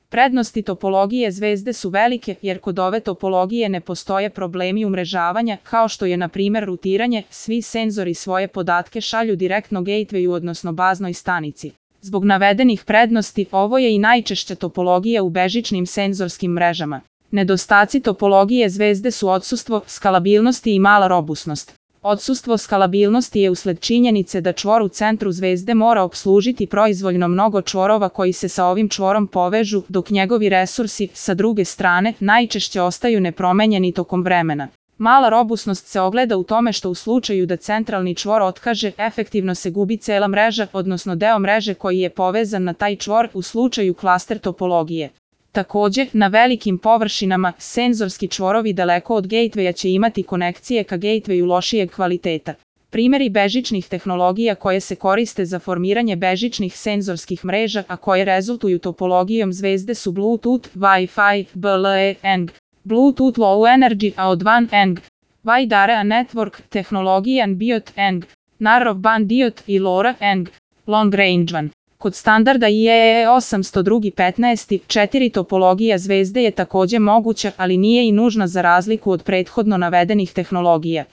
Prednosti topologije zvezde su velike jer kod ove topologije ne postoje problemi umrežavanja, kao što je na primjer rutiranje, svi senzori svoje podatke šalju direktno gatewayu odnosno baznoj stanici. Zbog navedenih prednosti, ovo je i najčešća topologija u bežičnim senzorskim mrežama. Nedostaci topologije zvezde su odsustvo skalabilnosti i mala robusnost. Odsustvo skalabilnosti je usled činjenice da čvor u centru zvezde mora opslužiti proizvoljno mnogo čvorova koji se sa ovim čvorom povežu, dok njegovi resursi, sa druge strane, najčešće ostaju nepromenjeni tokom vremena. Mala robusnost se ogleda u tome što u slučaju da centralni čvor otkaže, efektivno se gubi cela mreža, odnosno deo mreže koji je povezan na taj čvor u slučaju klaster topologije. Takođe, na velikim površinama, senzorski čvorovi daleko od gatewaya će imati konekcije ka gatewayu lošijeg kvaliteta. Primjeri bežičnih tehnologija koje se koriste za formiranje bežičnih senzorskih mreža, a koje rezultuju topologijom zvezde su Bluetooth, Wi-Fi, BLE, ENG, Bluetooth Low Energy AO2 ENG, Wide Area Network, tehnologija NB-IoT ENG, Narrowband IoT i LoRa ENG, Long Range WAN. Kod standarda IEEE 802.15 4 topologija zvezde je takođe moguća, ali nije i nužna za razliku od prethodno navedenih tehnologija.